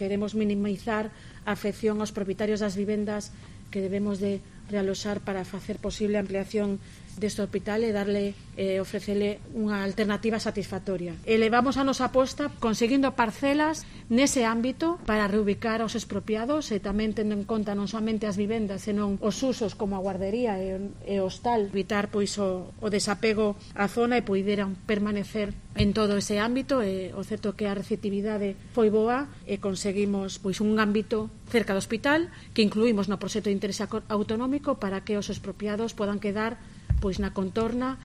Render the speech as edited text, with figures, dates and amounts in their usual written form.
Queremos minimizar a afección aos propietarios das vivendas que debemos de realoxar para facer posible a ampliación deste hospital e ofrecele unha alternativa satisfactoria. Elevamos a nosa aposta conseguindo parcelas nese ámbito para reubicar aos expropiados e tamén tendo en conta non somente as vivendas, senón os usos como a guardería e o hostal, evitar pois o desapego á zona e poideran permanecer en todo ese ámbito. E o certo que a receptividade foi boa e conseguimos pois un ámbito cerca do hospital que incluímos no proxecto de interese autonómico para que os expropiados podan quedar pois na contorna